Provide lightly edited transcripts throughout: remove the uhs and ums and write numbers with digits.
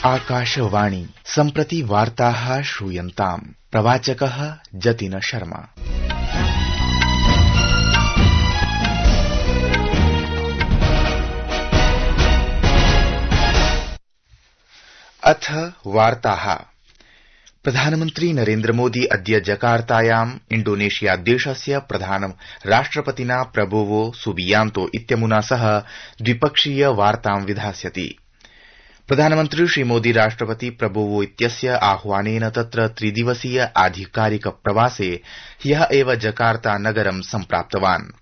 आकाशवाणी सम्प्रति वार्ताः श्रूयन्ताम्। प्रवाचकः जतिन शर्मा। अथ वार्ताः। प्रधानमन्त्री नरेन्द्र मोदी अद्य जकार्तायाम् इण्डोनेशिया देशस्य प्रधान राष्ट्रपतिना प्रबोवो सुबियांतो इत्यमुना सह द्विपक्षीय वार्तां विधास्यति। प्रधानमन्त्री श्रीमोदी राष्ट्रपति प्रबोवो इत्यस्य आह्वानेन तत्र त्रिदिवसीय आधिकारिक प्रवासे ह्यः एव जकार्ता नगरं सम्प्राप्तवान्।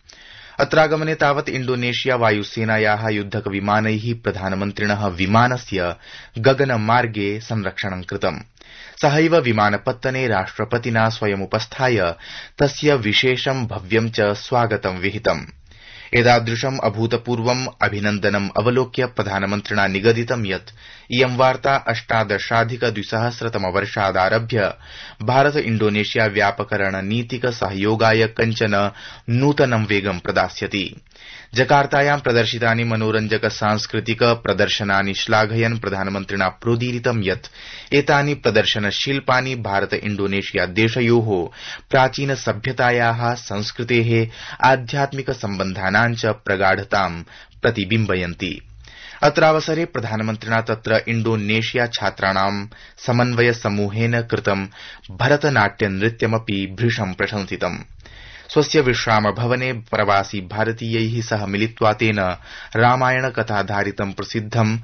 अत्रागमने तावत् इण्डोनेशिया वायुसेनायाः युद्धक विमानैः प्रधानमन्त्रिणः विमानस्य गगनमार्गे संरक्षणं कृतम्। सहैव विमानपत्तने राष्ट्रपतिना स्वयमुपस्थाय तस्य विशेषं भव्यं च स्वागतं विहितम्। एतादृशम् अभूतपूर्वम् अभिनन्दनम् अवलोक्य प्रधानमन्त्रिणा निगदितं यत् इयं वार्ता 18-2000 भारत इण्डोनेशिया व्यापक रणनीतिक सहयोगाय कञ्चन नूतनं वेगं प्रदास्यति। जकार्तायां प्रदर्शितानि मनोरञ्जक सांस्कृतिक प्रदर्शनानि श्लाघयन् प्रधानमन्त्रिणा प्रोदीरितं यत् एतानि प्रदर्शनशिल्पानि भारत इण्डोनेशिया देशयोः प्राचीन सभ्यतायाः संस्कृतेः आध्यात्मिक सम्बन्धानां च प्रगाढतां प्रतिबिम्बयन्ति। अत्रावसरे प्रधानमन्त्रिणा तत्र इण्डोनेशिया छात्राणां समन्वय समूहेन कृतं भरतनाट्य नृत्यमपि भृशं प्रशंसितम्। स्वस्य विश्राम भवने प्रवासी भारतीयैः सह मिलित्वा तेन रामायण कथाधारितं प्रसिद्धं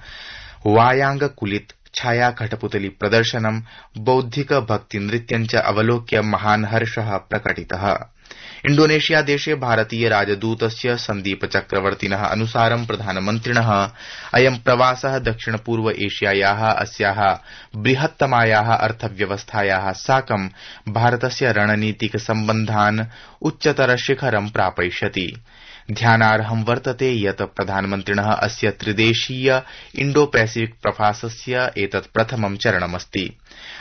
वायांगकुलित छाया कठपुतली प्रदर्शनं बौद्धिक भक्ति नृत्यं च अवलोक्य महान् हर्षः प्रकटितः। इण्डोनेशिया देशे भारतीय राजदूतस्य सन्दीप चक्रवर्तिनः अनुसारं प्रधानमन्त्रिणः अयं प्रवासः दक्षिण पूर्व एशियायाः अस्याः बृहत्तमायाः अर्थव्यवस्थायाः साकं भारतस्य रणनीतिक सम्बन्धान् उच्चतर शिखरं प्रापयिष्यति। ध्यानार्हं वर्तते यत् प्रधानमन्त्रिणः अस्य त्रिदेशीय इण्डो पैसिफिक प्रवासस्य एतत् प्रथमं चरणमस्ति।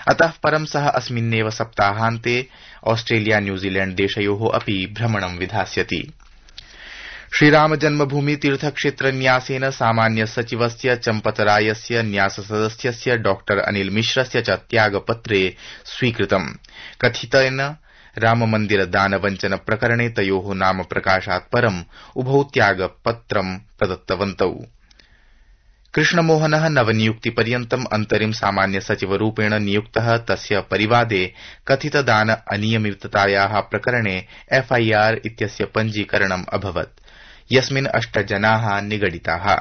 अतः परं सः अस्मिन्नेव सप्ताहान्ते ऑस्ट्रेलिया न्यूजीलैण्ड देशयोः अपि भ्रमणं विधास्यति। श्रीराम जन्मभूमि तीर्थक्षेत्र न्यासेन सामान्य सचिवस्य चम्पतरायस्य न्यास सदस्यस्य डॉ अनिल मिश्रस्य च त्यागपत्रे स्वीकृतम्। कथितेन राममन्दिर दानवञ्चन प्रकरणे तयोः नाम प्रकाशात् परम् उभौ त्यागपत्रं प्रदत्तवन्तौ। कृष्णमोहनः नवनियुक्तिपर्यन्तम् अन्तरिम सामान्य सचिवरूपेण नियुक्तः। तस्य परिवादे कथित दान अनियमिततायाः प्रकरणे एफआईआर इत्यस्य पञ्जीकरणम् अभवत्, यस्मिन् 8 जनाः निगडिताः।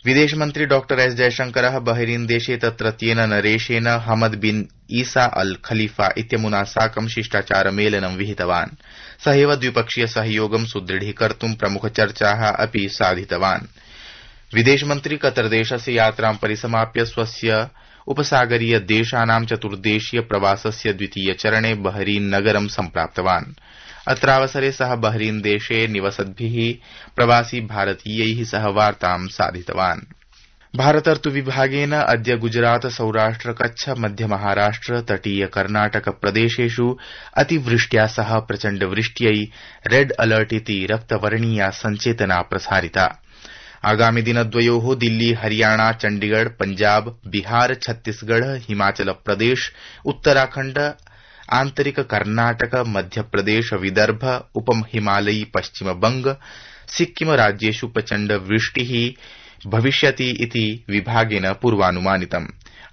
विदेशमन्त्री डॉ एस जयशंकरः बहरीन देशे तत्रत्येन नरेशेन हमद बिन ईसा अल खलीफा इत्यमुना साकं शिष्टाचारमेलनं विहितवान्। सहैव द्विपक्षीय सहयोगं सुदृढीकर्तुं प्रमुखचर्चाः अपि साधितवान्। विदेशमन्त्री कतरदेशस्य यात्रां परिसमाप्य स्वस्य उपसागरीय देशानां चतुर्देशीय प्रवासस्य द्वितीय चरणे बहरीन नगरं सम्प्राप्तवान्। अत्रावसरे सः बहरीन देशे निवसद्भिः प्रवासी भारतीयैः सह वार्तां साधितवान्। भारतर्तुविभागेन अद्य गुजरात सौराष्ट्र कच्छ मध्य महाराष्ट्र तटीय कर्णाटक प्रदेशेषु अतिवृष्ट्या सह प्रचण्डवृष्ट्यै रेड अलर्ट इति रक्तवर्णीया सञ्चेतना प्रसारिता। आगामि दिनद्वयोः दिल्ली हरियाणा चण्डीगढ़ पंजाब बिहार छत्तीसगढ़ हिमाचल प्रदेश उत्तराखण्ड आन्तरिक कर्णाटक मध्यप्रदेश विदर्भ उपहिमालयी पश्चिमबंग सिक्किम राज्येषु प्रचण्ड वृष्टिः भविष्यति इति विभागेन पूर्वानुमानितम्।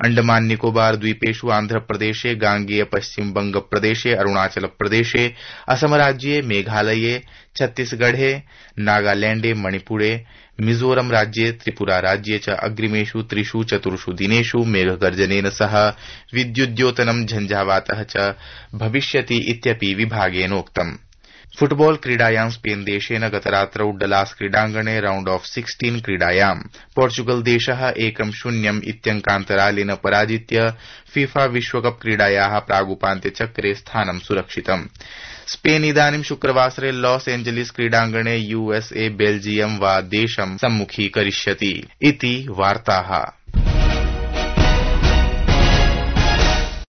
अंडमान निकोबार द्वीपेषु आन्ध्रप्रदेशे गांगेय पश्चिम बंग प्रदेशे अरुणाचल प्रदेशे असम राज्ये मेघालये छत्तीसगढ़े नागालैण्डे मणिपुरे मिजोरम राज्ये त्रिपुरा राज्ये च अग्रिमेषु 3-4 दिनेषु मेघगर्जनेन सह विद्युद्योतनं झंझावातः च भविष्यति इत्यपि विभागेनोक्तम्। फुटबॉल क्रीडायां स्पेन देशेन गतरात्रौ डलास क्रीडाङ्गणे राउण्ड ऑफ 16 क्रीडायां पोर्चुगल देशः 1-0 इत्यङ्कान्तरालेन पराजित्य फीफा विश्वकप क्रीडायाः प्रागुपान्त्यचक्रे स्थानं सुरक्षितम्। स्पेन इदानीं शुक्रवासरे लॉस एंजलिस क्रीडाङ्गणे यूएसए बेल्जियम वा देशं सम्मुखीकरिष्यति इति वार्ताः।